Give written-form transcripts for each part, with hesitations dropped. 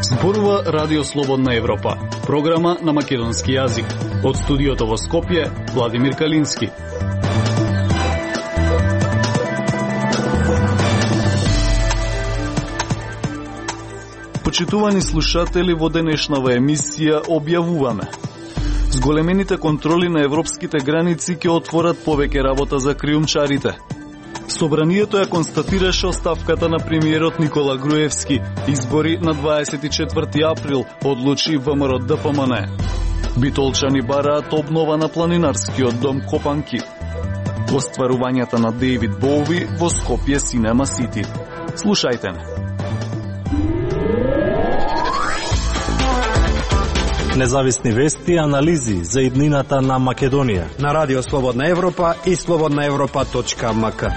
Зборува Радио Слободна Европа, програма на македонски јазик. Од студиото во Скопје, Владимир Калински. Почитувани слушатели, во денешнава емисија објавуваме: зголемените контроли на европските граници ќе отворат повеќе работа за криумчарите. Собранието ја констатираше оставката на премиерот Никола Груевски. Избори на 24 април, одлучи ВМРО-ДПМН. Битолчани бараат обнова на планинарскиот дом Копанки. Остварувањата на Дейвид Боуи во Скопје Синема Сити. Слушајте не. Независни вести и анализи за иднината на Македонија на Радио Слободна Европа и slobodnaevropa.mk.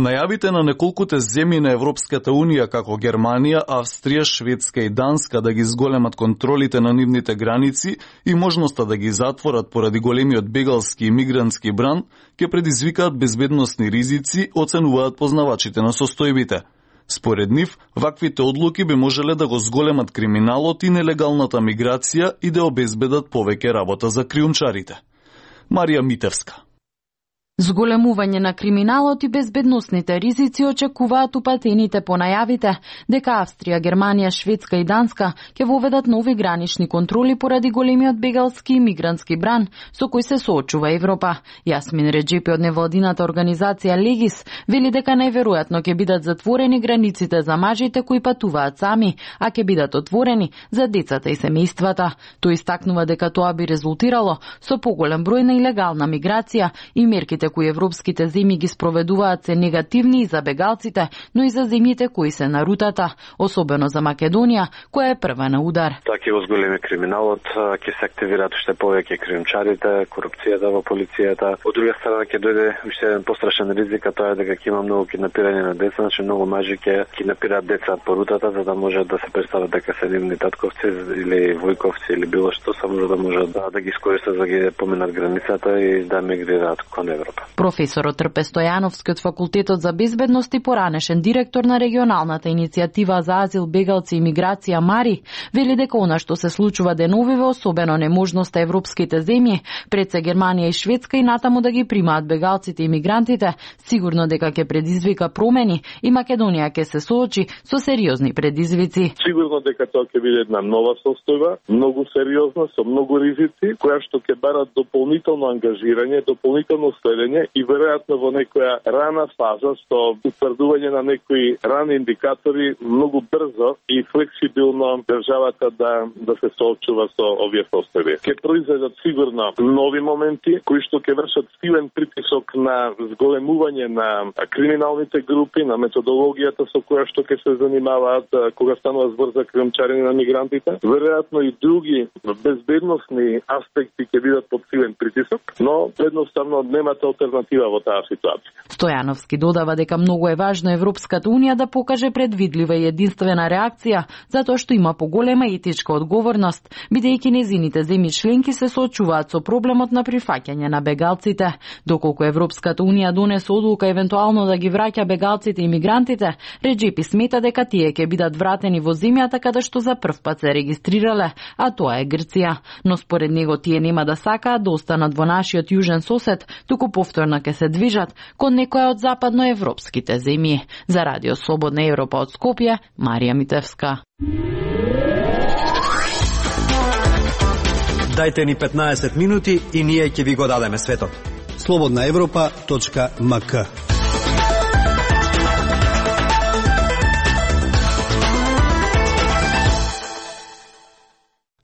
Најавите на неколкуте земји на Европската Унија, како Германија, Австрија, Шведска и Данска, да ги зголемат контролите на нивните граници и можноста да ги затворат поради големиот бегалски и мигрантски бран, ќе предизвикаат безбедносни ризици, оценуваат познавачите на состојбите. Според нив, ваквите одлуки би можеле да го зголемат криминалот и нелегалната миграција и да обезбедат повеќе работа за криумчарите. Марија Митевска. Зголемување на криминалот и безбедносните ризици очекуваат упатените по најавите дека Австрија, Германија, Шведска и Данска ќе воведат нови гранични контроли поради големиот бегалски и мигрантски бран со кој се соочува Европа. Јасмин Реджепи од невладината организација Легис вели дека најверојатно ќе бидат затворени границите за мажите кои патуваат сами, а ќе бидат отворени за децата и семејствата. Тој истакнува дека тоа би резултирало со поголем број на илегална миграција и мерките кои европските земји ги спроведуваат се негативни и за бегалците, но и за земјите кои се на рутата, особено за Македонија, која е прва на удар. Тоа ќе го зголеми криминалот, ќе се активираат уште повеќе криумчарите, корупцијата во полицијата. Од друга страна ќе дојде уште еден пострашен ризик, а тоа е дека ќе има многу киднапирање на деца, значи многу мажи ќе киднапираат деца по рутата за да можат да се представат дека се нивни татковци или војковци или било што, само за да можат да ги искористат за да ги поминат границата и да мигрираат кон Европа. Професорот Трпе Стојановски од Факултетот за безбедност и поранешен директор на регионалната иницијатива за азил, бегалци и миграција Мари, вели дека она што се случува деновиве, особено неможноста европските земји, пред се Германија и Шведска и натаму да ги примаат бегалците и мигрантите, сигурно дека ќе предизвика промени и Македонија ќе се соочи со сериозни предизвици. Сигурно дека тоа ќе биде една нова состојба, многу сериозна, со многу ризици, која што ќе барат дополнително ангажирање, дополнително следење и веројатно во некоја рана фаза со утврдување на некои рани индикатори многу брзо и флексибилно државата да се соочува со овие состојби. Ќе произведат сигурно нови моменти кои што ќе вршат силен притисок на зголемување на криминалните групи, на методологијата со која што ќе се занимаваат кога станува збор за криумчарење на мигрантите. Веројатно и други безбедносни аспекти ќе бидат под силен притисок, но едноставно немате алтернатива во таа ситуација. Стојановски додава дека многу е важно Европската Унија да покаже предвидлива и единствена реакција, затоа што има поголема етичка одговорност, бидејќи незините земји членки се соочуваат со проблемот на прифаќање на бегалците. Доколку Европската Унија донесе одлука евентуално да ги враќа бегалците и мигрантите, Реджепи смета дека тие ќе бидат вратени во земјата каде што за прв пат се регистрирале, а тоа е Грција. Но според него тие нема да сакаат да останат во нашиот јужен сосед, туку повторно ќе се движат кон некоја од западноевропските земји. За Радио Слободна Европа од Скопје, Марија Митевска. Дајте ни 15 минути и ние ќе ви го дадеме светот. slobodnaevropa.mk.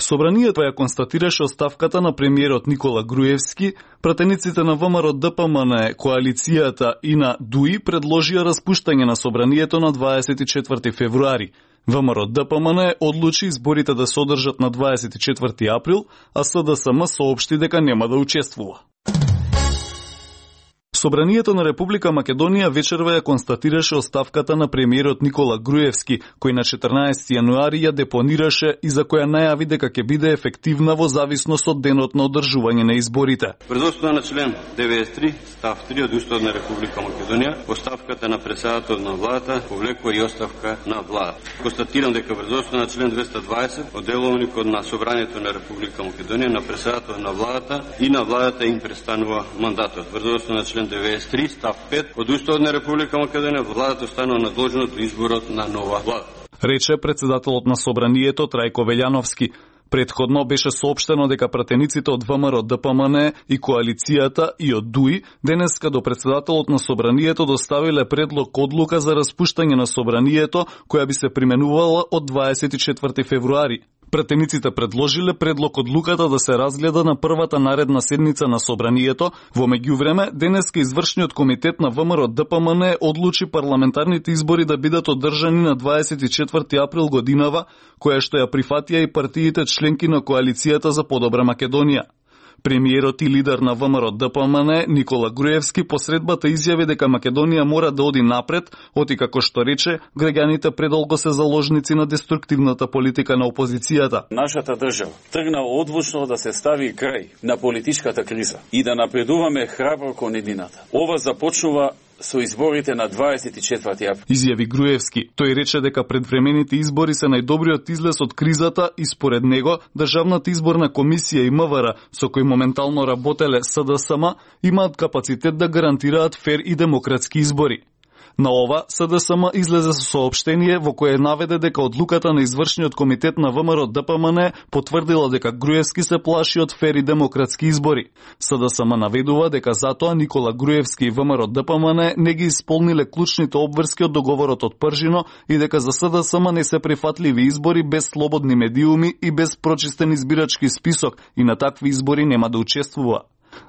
Собранието ја констатираше оставката на премиерот Никола Груевски, пратениците на ВМРО-ДПМН, коалицијата и на ДУИ предложија распуштање на собранието на 24 февруари. ВМРО-ДПМН одлучи изборите да се одржат на 24 април, а СДСМ соопшти дека нема да учествува. Собранието на Република Македонија вечерва ја констатираше оставката на премиерот Никола Груевски, кој на 14 јануари ја депонираше и за која најави дека ќе биде ефективна во зависност од денот на одржување на изборите. Врз основа на член 93 став 3 од Уставот на Република Македонија, оставката на претседател на владата повлекува и оставка на влада. Констатирам дека врз основа на член 220 од деловникот на Собранието на Република Македонија на претседател на владата и на владата им престанува мандатот. Врз основа на член 93 став 5 од Уставот на Република Македонија, владата останува надлежна до изборот на нова влада, рече претседателот на Собранието Трајко Велјановски. Претходно беше соопштено дека пратениците од ВМРО ДПМН и коалицијата и од ДУИ денеска до претседателот на Собранието доставиле предлог одлука за распуштање на Собранието, која би се применувала од 24 февруари. Пратениците предложиле предлог одлуката да се разгледа на првата наредна седница на Собранието. Во меѓувреме, денеска извршниот комитет на ВМРО ДПМН одлучи парламентарните избори да бидат одржани на 24 април годинава, која што ја прифатија и партиите членки на коалицијата за подобра Македонија. Премиерот и лидер на ВМРО ДПМН Никола Груевски посредбата изјави дека Македонија мора да оди напред, оти како што рече, граѓаните предолго се заложници на деструктивната политика на опозицијата. Нашата држава тргна одлучно да се стави крај на политичката криза и да напредуваме храбро кон едината. Ова започнува со изборите на 24 април. Изјави Груевски. Тој рече дека предвремените избори се најдобриот излез од кризата и според него Државната изборна комисија и МВР, со кои моментално работеле СДСМ, имаат капацитет да гарантираат фер и демократски избори. На ова, СДСМ излезе со соопштение во кое наведе дека одлуката на извршниот комитет на ВМРО ДПМН потврдила дека Груевски се плаши од фер и демократски избори. СДСМ наведува дека затоа Никола Груевски и ВМРО ДПМН не ги исполниле клучните обврски од договорот од Пржино и дека за СДСМ не се прифатливи избори без слободни медиуми и без прочистен избирачки список и на такви избори нема да учествува.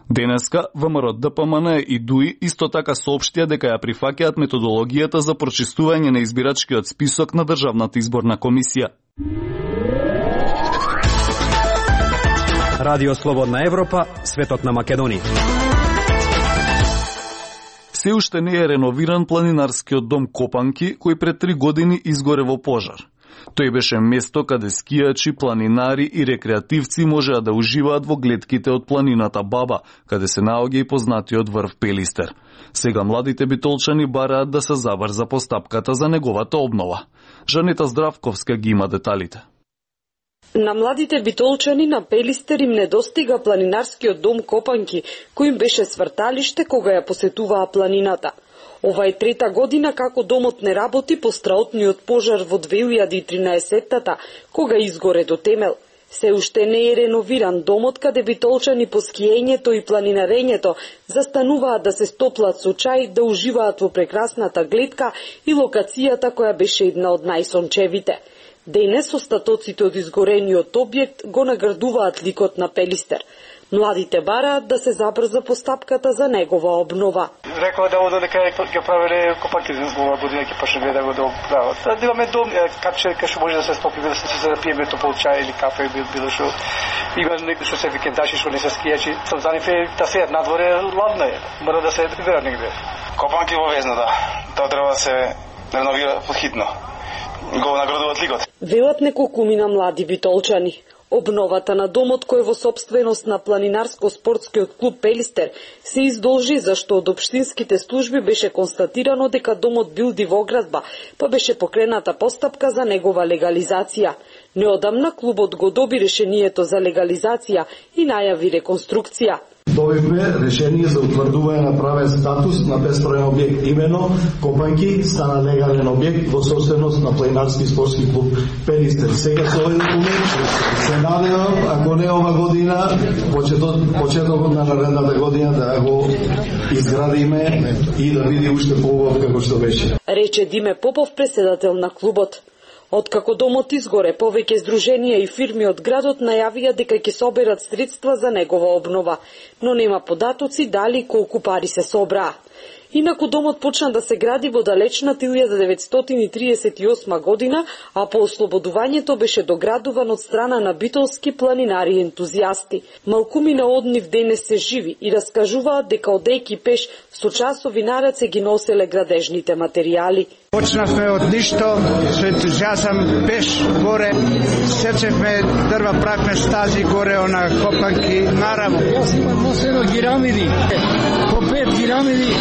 Денеска ВМРО ДПМН и ДУИ исто така соопштија дека ја прифаќаат методологијата за прочистување на избирачкиот список на Државната изборна комисија. Радио Слободна Европа, светот на Македонија. Се уште не е реновиран планинарскиот дом Копанки, кој пред 3 години изгоре во пожар. Тој беше место каде скијачи, планинари и рекреативци можеа да уживаат во глетките од планината Баба, каде се наоѓа и познатиот врв Пелистер. Сега младите битолчани бараат да се забрза постапката за неговата обнова. Жанета Здравковска ги има деталите. На младите битолчани на Пелистер им недостига планинарскиот дом Копанки, кој им беше сврталиште кога ја посетуваа планината. Ова е 3-та година како домот не работи по страотниот пожар во 2013-та, кога изгоре до темел. Се уште не е реновиран домот каде битолчани по скиењето и планинарењето застануваат да се стоплат со чај, да уживаат во прекрасната гледка и локацијата која беше една од најсончевите. Денес остатоците од изгорениот објект го наградуваат ликот на Пелистер. Младите бараат да се забрза постапката за негова обнова. Рекоа да оде дека ќе правеле Копанки за ова година ќе почне да го прават. Да имаме дом кај што може да се стопи, да се пиеме топол чај или кафе било што. Има некои што се викендачи што не се скијачи. Сам за нив да се надворе ладно е. Мора да се вера негде. Копанки во Везна, да. Тоа треба да се реновира подхитно. Го наградуваат ликот. Велат неколкумина млади битолчани. Обновата на домот кој е во сопственост на планинарско-спортскиот клуб Пелистер се издолжи зашто од општинските служби беше констатирано дека домот бил дивоградба, па беше покрената постапка за негова легализација. Неодамна клубот го доби решението за легализација и најави реконструкција. Добивме решение за утврдување на правен статус на бесправен објект, имено Копанки стана легален објект во собственост на планинарски спортски клуб Пелистер. Сега со овој документ се надевам, ако не ова година, почетокот на наредната година да го изградиме и да биде уште поубав како што беше. Рече Диме Попов, преседател на клубот. Откако домот изгоре, повеќе здруженија и фирми од градот најавија дека ќе соберат средства за негова обнова, но нема податоци дали колку пари се собраа. Инаку домот почна да се гради во далечната 1938 година, а по ослободувањето беше доградуван од страна на битолски планинари и ентузијасти. Малкумина од нив денес се живи и раскажуваат дека одејки пеш со часови нараце ги носеле градежните материјали. Почнавме од ништо, со ентузијазам пеш горе, сечевме дрва, правме стази горе, она копанки, наравно. Јас имам носено гирамиди, по 5 гирамиди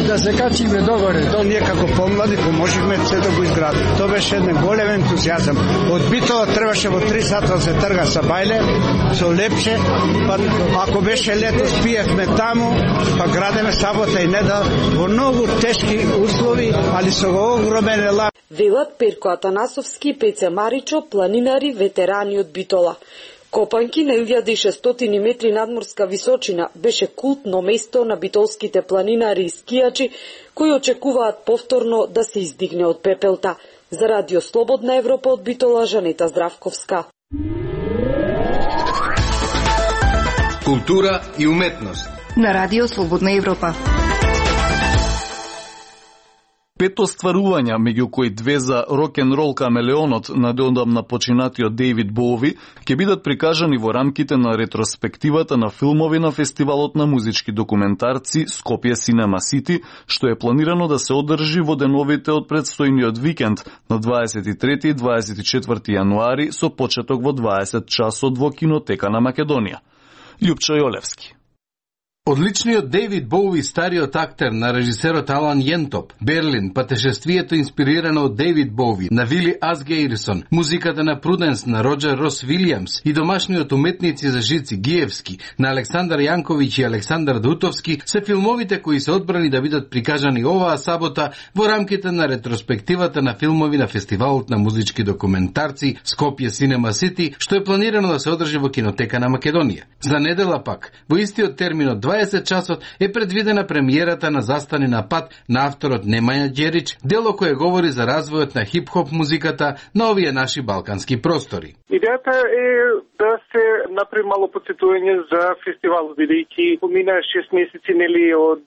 да се качиме догоре. Ние како помлади поможивме се да го изградиме. Тоа беше еден голем ентузијазам. Од Битола требаше во 3 сата да се трга со бајле, со лепче, па ако беше лето спиевме таму, па градеме сабота и недел во многу тешки услови, али со огромен елат. Велат Перко Атанасовски и Пеце Маричо, планинари, ветерани од Битола. Копанки на 1600 метри надморска височина беше култно место на битолските планинари и скијачи кои очекуваат повторно да се издигне од пепелта. За Радио Слободна Европа од Битола, Жанета Здравковска. Култура и уметност на Радио Слободна Европа. 5 остварувања, меѓу кои 2 за рок-н-рол камелеонот на неодамна починатиот Дејвид Боуи, ќе бидат прикажани во рамките на ретроспективата на филмови на фестивалот на музички документарци Скопје Cinema City, што е планирано да се одржи во деновите од предстојниот викенд на 23 и 24 јануари со почеток во 20 часот во Кинотека на Македонија. Љупчо Јолевски. Одличниот Дејвид Боуи, стариот актер на режисерот Алан Јентоп, Берлин, патешествието инспирирано од Дејвид Боуи, на Вили Асгейрсон, музиката на Пруденс на Роджер Рос Вилијамс и домашниот уметници за жици Гиевски, на Александар Јанковиќ и Александар Дутовски, се филмовите кои се одбрани да бидат прикажани оваа сабота во рамките на ретроспективата на филмови на фестивалот на музички документарци Скопје Cinema City, што е планирано да се одржи во Кинотека на Македонија. За недела пак, во истиот термин од 20 часот е предвидена премиерата на Застани на пат на авторот Немања Ѓерич, дело кое говори за развојот на хип-хоп музиката на овие наши балкански простори. Идејата е да се направи мало подсетување за фестивалот, бидејќи помина 6 месеци нели од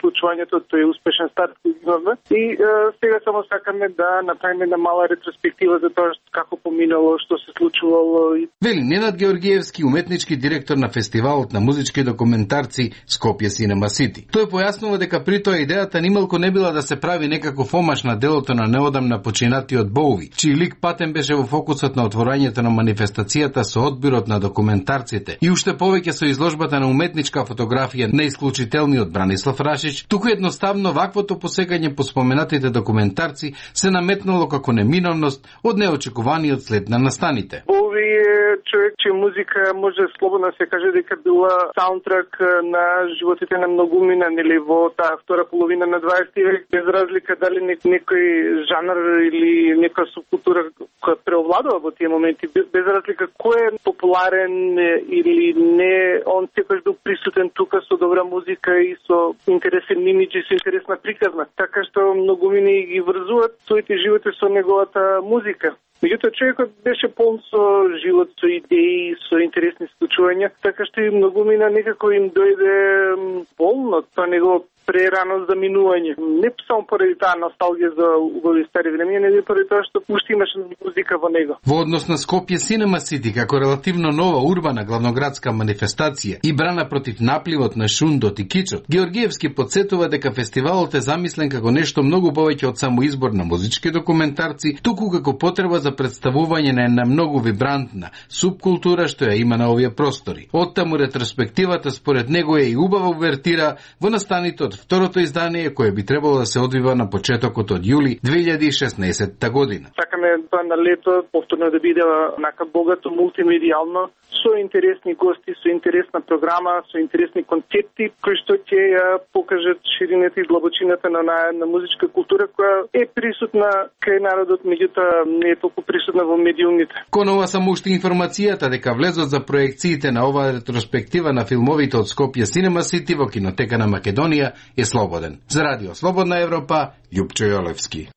случувањето, тој успешен старт кој имаме и сега само сакаме да направиме една мала ретроспектива за тоа како поминало, што се случувало. Вели Ненад Георгиевски, уметнички директор на фестивалот на музички документарци Скопје Cinema City. Тој појаснува дека при тоа идејата нималку не била да се прави некаков омаш на делото на неодамна починатиот Боуи, чиј лик патен беше во фокусот на отворањето на манифестацијата со одбирот на документарците и уште повеќе со изложбата на уметничка фотографија на исклучителниот Бранислав Рашич, туку едноставно ваквото посекање по споменатите документарци се наметнало како неминовност од неочекуваниот след на настаните. Боуи е човек чија музика може слободно се каже дека била саундтрак на животите на многумина, нели во таа втора половина на 20 век, без разлика дали некој жанр или некоја субкултура која преовладува во тие моменти, без разлика кој е популарен или не, он секогаш бил присутен тука со добра музика и со интересен имидж и со интересна приказна. Така што многумини ги врзуваат своите животи со неговата музика. Меѓутоа, човекот беше полн со живот, со идеи, со интересни случувања, така што и многумина некако им дојде болно тоа негово прерано заминување. Не само поради таа носталгија за убави стари времења, него поради тоа што уште имаше музика во него. Во однос на Скопје Cinema City, како релативно нова урбана главноградска манифестација и брана против напливот на шундот и кичот, Георгиевски подсетува дека фестивалот е замислен како нешто многу повеќе од само избор на музички документарци, туку како потреба за представување на една многу вибрантна субкултура што ја има на овие простори. Оттаму ретроспективата според него е и убава увертира во настаните од второто издание кое би требало да се одвива на почетокот од јули 2016 година. Сакаме тоа на лето повторно да биде нака богато мултимедијално, со интересни гости, со интересна програма, со интересни концепти кои што ќе ја покажат ширината и длабочината на музичка култура која е присутна кај народот, меѓутоа не е толку присутна во медиумите. Кон ова само уште информацијата дека влезот за проекциите на оваа ретроспектива на филмовите од Скопје Cinema City во Кинотека на Македонија е слободен. За Радио Слободна Европа, Љупчо Јолевски.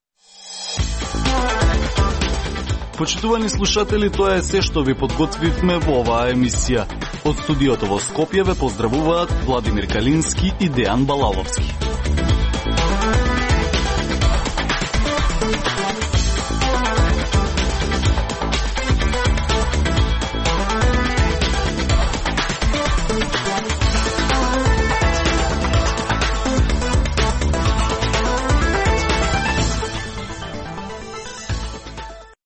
Почитувани слушатели, тоа е се што ви подготвивме во оваа емисија. Од студиото во Скопје ве поздравуваат Владимир Калински и Дејан Балаловски.